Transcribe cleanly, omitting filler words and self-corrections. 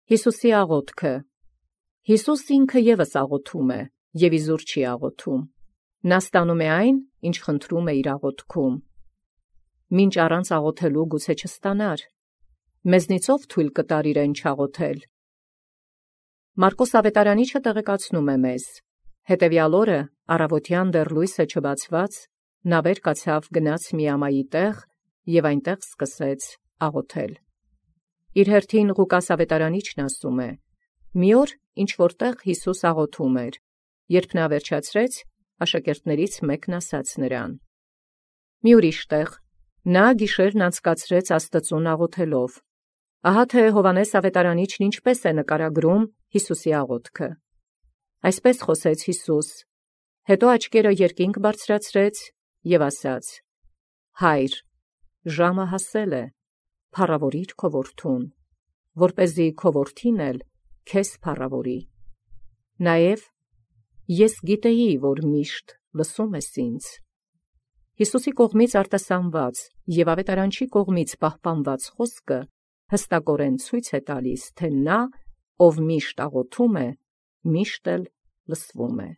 Հիսուսի աղոթքը։ Հիսուս ինքը ևս աղոթում է, և իզուր չի աղոթում։ Նա ստանում է այն, ինչ խնդրում է իր աղոթքում։ Մինչ առանց աղոթելու գուցե չստանար։ Մեզնից ով թույլ կտար իրեն չաղոթել։ Մարկոս ավետարանիչը տեղեկացնում է մեզ. հետևյալ օրը առավոտյան դեռ լույսը չբացված, նա վեր կացավ գնաց Միամայի տեղ և այնտեղ սկսեց աղոթել։ Իր հերթին Ղուկաս ավետարանիչն ասում է. մի օր ինչ որտեղ Հիսուս աղոթում էր, երբ նա վերջացրեց, աշակերտներից մեկն ասաց նրան. մի ուրիշ տեղ նա գիշերն անցկացրեց Աստծուն աղոթելով։ Ահա թե Հովհաննես ավետարանիչն ինչպես է նկարագրում Հիսուսի աղոթքը։ Այսպես խոսեց Հիսուս, հետո աչքերը երկինք բարձրացրեց և ասաց. Հայր, ժամը հասել է, փառավորիր քո որդուն, որպեսզի քո որդին էլ քեզ փառավորի։ Նաև ես գիտեի, որ միշտ լսում ես ինձ։ Հիսուսի կողմից արտասանված և ավետարանչի կողմից պահպանված խոսքը հստակորեն ցույց է տալիս, թե նա, ով միշտ աղոթում է, միշտ էլ լսվում է։